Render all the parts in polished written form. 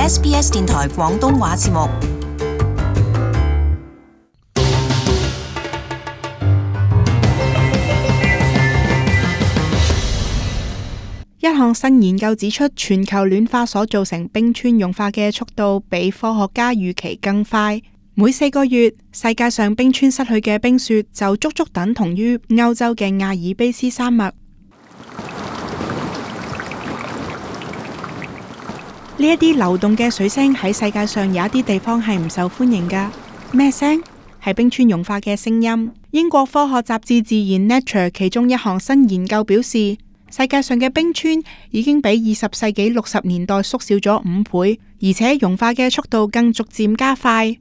SBS 電台廣東話節目。一項新研究指出，全球暖化所造成冰川融化嘅速度比科學家預期更快。每4個月，世界上冰川失去嘅冰雪就足足等同於歐洲嘅亞爾卑斯山脈。呢一啲流動嘅水聲喺世界上有一啲地方係唔受歡迎㗎。咩聲？係冰川融化嘅聲音。英國科學雜誌《自然 Nature》其中一項新研究表示，世界上嘅冰川已經比20世紀60年代縮小咗5倍，而且融化嘅速度更逐漸加快。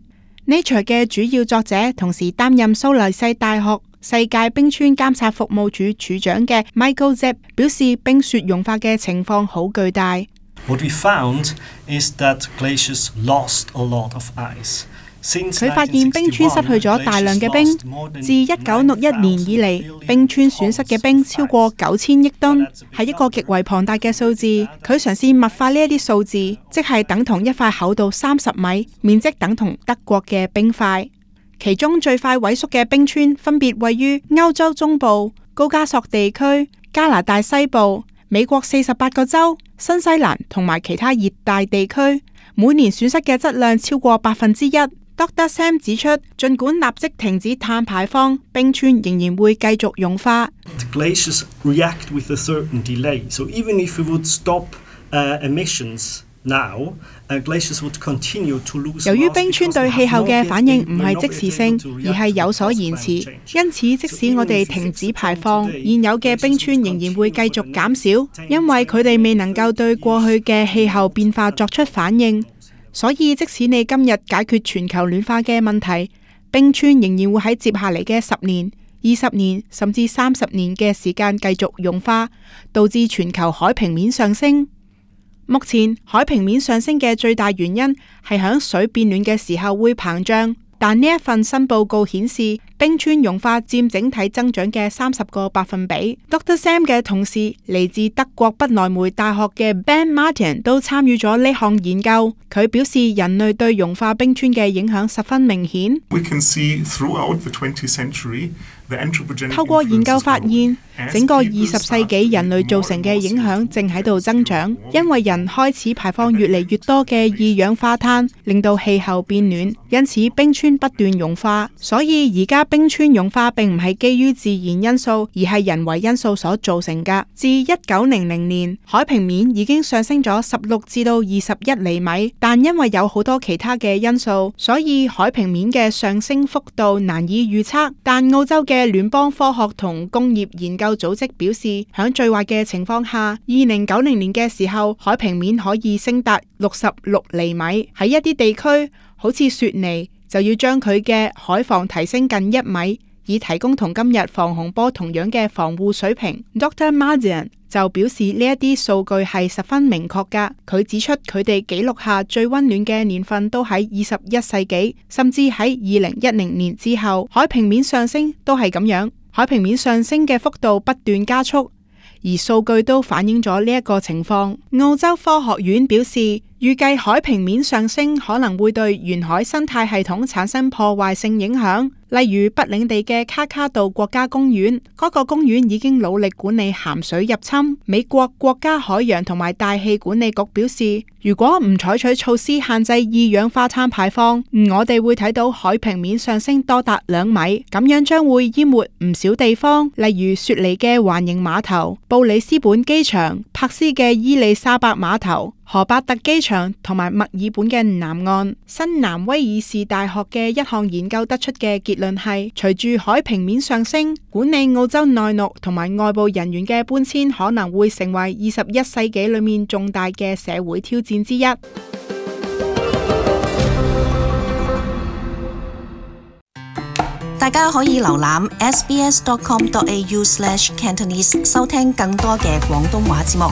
Nature 嘅主要作者同時擔任蘇黎世大學世界冰川監察服務處處長嘅 Michael Zepp 表示，冰雪融化嘅情況好巨大。What we found is that glaciers lost a lot of ice. 佢發現冰川失去咗大量嘅冰，自1961年以嚟，冰川損失嘅冰超過9000億噸，係一個極為龐大嘅數字。佢嘗試物化呢一啲數字，即係等同一塊厚度30米、面積等同德國嘅冰塊。其中最快萎縮嘅冰川分別位於歐洲中部、高加索地區、加拿大西部、美國48個州、新西蘭同埋其他熱帶地區，每年損失嘅質量超過1%。Dr. Sam 指出，儘管立即停止碳排放，冰川仍然會繼續融化。Glaciers react with a certain delay. So even if we would stop emissions now, glaciers would continue to lose. 由於冰川對氣候嘅反應唔係即時性，而係有所延遲，因此即使我哋停止排放，現有嘅冰川仍然會繼續減少，因為佢哋未能夠對過去嘅氣候變化作出反應。所以即使你今日解決全球暖化嘅問題，冰川仍然會喺接下嚟嘅10年、20年甚至30年嘅時間繼續融化，導致全球海平面上升。目前海平面上升嘅最大原因係響水變暖嘅時候會膨脹，但呢一份新報告顯示，冰川融化佔整體增長嘅30個百分比。Dr. Sam 嘅同事嚟自德國不萊梅大學嘅 Ben Martin 都參與咗呢項研究。佢表示，人類對融化冰川嘅影響十分明顯。透過研究發現，整個20世紀人類造成嘅影響正喺度增長，因為人開始排放越嚟越多嘅二氧化碳，令到氣候變暖，因此冰川不斷融化。所以而家冰川融化並唔係基於自然因素，而係人為因素所造成㗎。自1900年，海平面已經上升咗16至到21厘米，但因為有好多其他嘅因素，所以海平面嘅上升幅度難以預測。但澳洲嘅聯邦科學同工業研究組織表示，喺最壞嘅情況下，2090年嘅時候，海平面可以升達66厘米。喺一啲地區，好似雪梨，就要將佢嘅海防提升近1米，以提供同今日防洪波同樣嘅防護水平。Dr. Martin 就表示呢一啲數據係十分明確㗎。佢指出佢哋記錄下最溫暖嘅年份都喺21世紀，甚至喺2010年之後，海平面上升都係咁樣。海平面上升嘅幅度不斷加速，而數據都反映咗呢一個情況。澳洲科學院表示，預計海平面上升可能會對沿海生態系統產生破壞性影響。例如北領地嘅卡卡杜國家公園，嗰個公園已經努力管理鹹水入侵。美國國家海洋同埋大氣管理局表示，如果唔採取措施限制二氧化碳排放，我哋會睇到海平面上升多達2米，咁樣將會淹沒唔少地方，例如雪梨嘅環形碼頭、布里斯本機場、珀斯嘅伊麗莎白碼頭、荷伯特機場同埋墨爾本嘅南岸。新南威爾士大學嘅一項研究得出嘅結論係，隨住海平面上升，管理澳洲內陸同埋外部人員嘅搬遷可能會成為21世紀裏面重大嘅社會挑戰之一。大家可以瀏覽 sbs.com.au/Cantonese 收聽更多嘅廣東話節目。